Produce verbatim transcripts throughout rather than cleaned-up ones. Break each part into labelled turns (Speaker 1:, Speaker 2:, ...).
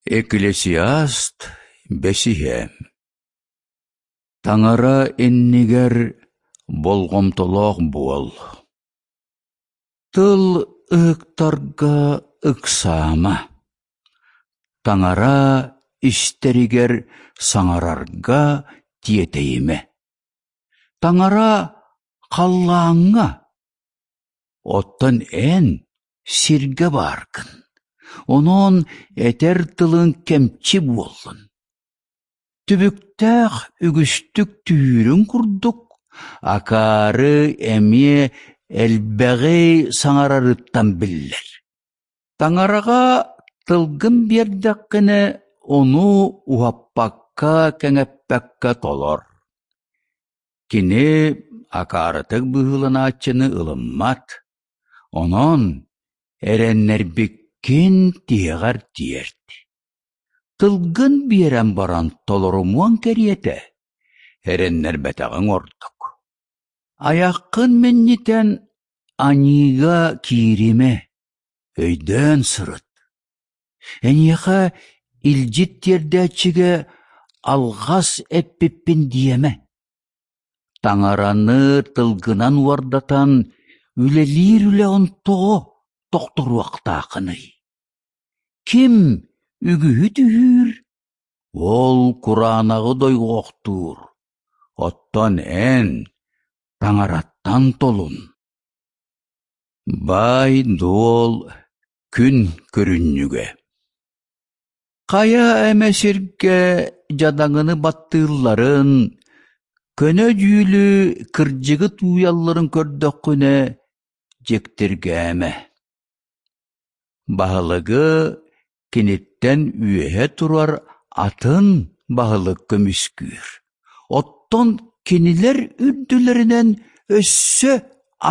Speaker 1: Экклесиаст бэсиһэ Таҥара иннигэр болҕомтолоох буол, тыл ыһыктарга ыксаама, Таҥара истэригэр саҥарарга тиэтэйимэ. Таҥара халлааҥҥа, оттон эн сиргэ бааргын, онон этэр тылыҥ кэмчи буоллун. Түбүктээх үгүстүк түһүүрүн курдук, акаары эмиэ элбэҕи саҥарарыттан биллэр. Таҥараҕа тылгын биэрдэххинэ, ону уһаппакка-кэҥэппэккэ толор. Кини акаарытык быһыыланааччыны ылыммат, онон эрэннэрбиккин тиһэҕэр тиэрт. Тылгын биэрэн баран толорумуоҥ кэриэтэ, эрэннэрбэтэҕиҥ ордук. Айаххын минньитэн аньыыга кииримэ, өйдөөн сырыт. Эйиэхэ илдьит тиэрдээччигэ алҕас эппиппин диэмэ. Таҥараны тылгынан уордатан үлэлиир үлэҕин тоҕо тохторуохтааххыный? Ким үгүһү түһүүр, ол кураанаҕы дойҕохтуур, оттон эн Таҥараттан толун. Баай-дуол күн көрүнньүгэ Хайа эмэ сиргэ дьадаҥыны баттыылларын, көнө дьүүлү, кырдьыгы тууйалларын көрдөххүнэ, дьиктиргээмэ. Баһылыгы киниттэн үөһэ турар атын баһылык көмүскүүр, оттон кинилэр үрдүлэринэн өссө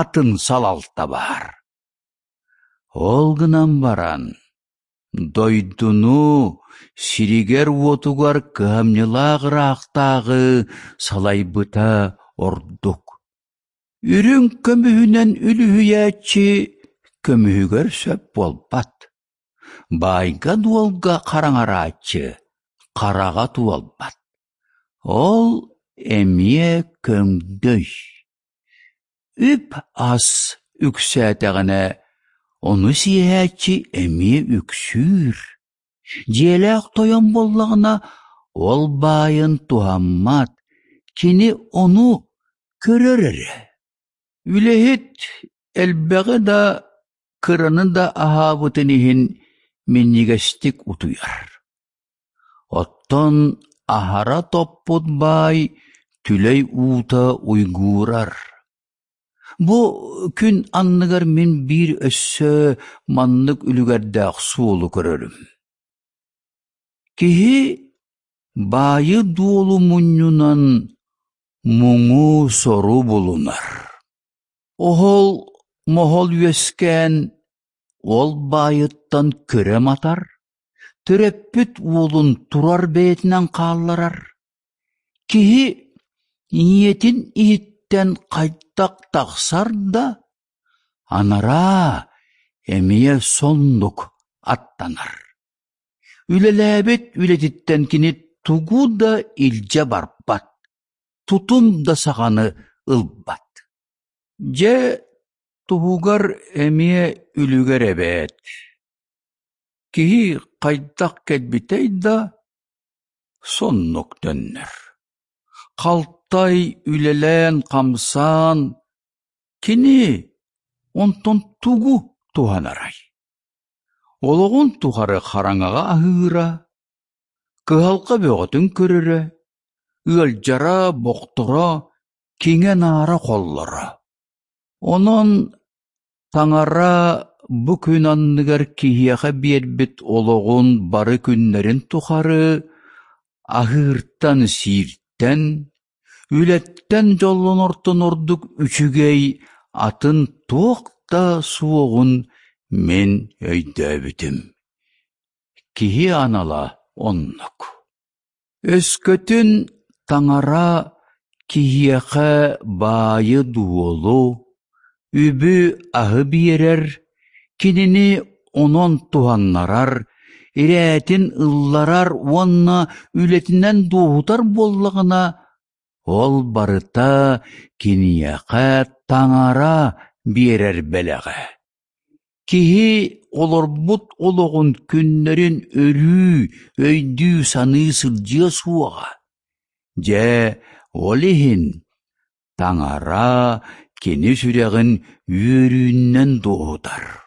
Speaker 1: атын салалта баар. Ол гынан баран, дойдуну сиригэр-уотугар кыһамньылаах ыраахтааҕы салайбыта ордук. Үрүҥ көмүһүнэн үлүһүйээччи көмүһүгэр сөп буолбат, баайга-дуолга хараҥарааччы хараҕа туолбат, ол эмиэ көҥдөй. Үп-ас үксээтэҕинэ, ону сиэһээччи эмиэ үксүүр. Дьиэлээх тойон буоллаҕына, ол баайын туһаммат, кини ону көрөр эрэ. Үлэһит элбэҕи да, кыраны да аһаабытын иһин минньигэстик утуйар. Оттон аһара топпут баай түлэй уута уйгуурар. Бу күн анныгар мин биир өссө маннык үлүгэрдээх суолу көрөрүм. Киһи баайы-дуолу мунньунан муҥу-сору булунар. Оһол-моһол үөскээн, ол баайыттан көрө матар, төрөппүт уолун турар бэйэтинэн хаалларар. Киһи ийэтин иһиттэн хайдах тахсар да, анараа эмиэ соннук аттанар. Үлэлээбит үлэтиттэн кини тугу да илдьэ барбат, тутум да саҕаны ылбат. Дьэ, туһугар эмиэ үлүгэр эбээт. Киһи хайдах кэлбитэй да, соннук төннөр. Халтай үлэлээн-хамсаан, кини онтон тугу туһанарай? Олоҕун тухары хараҥаҕа аһыыра, кыһалҕа бөҕөтүн көрөрө, ыалдьара, бохторо, киҥэ-наара холлоро. Онон Таҥара бу күн анныгар киһиэхэ биэрбит олоҕун бары күннэрин тухары аһыыртан-сииртэн, үлэттэн дьоллонортон ордук үчүгэй атын туох да суоҕун мин өйдөөбүтүм. Киһи анала оннук. Өскөтүн Таҥара киһиэхэ баайы-дуолу, үбү-аһы биэрэр, кинини онон туһаннарар, ирээтин ылларар уонна үлэтинэн дуоһутар буоллаҕына, ол барыта киниэхэ Таҥара биэрэр бэлэҕэ. Киһи олорбут олоҕун күннэрин өрүү өйдүү-саныы сылдьыа суоҕа. Дьэ, ол иһин Таҥара кини сүрэҕин үөрүүнэн дуоһутар.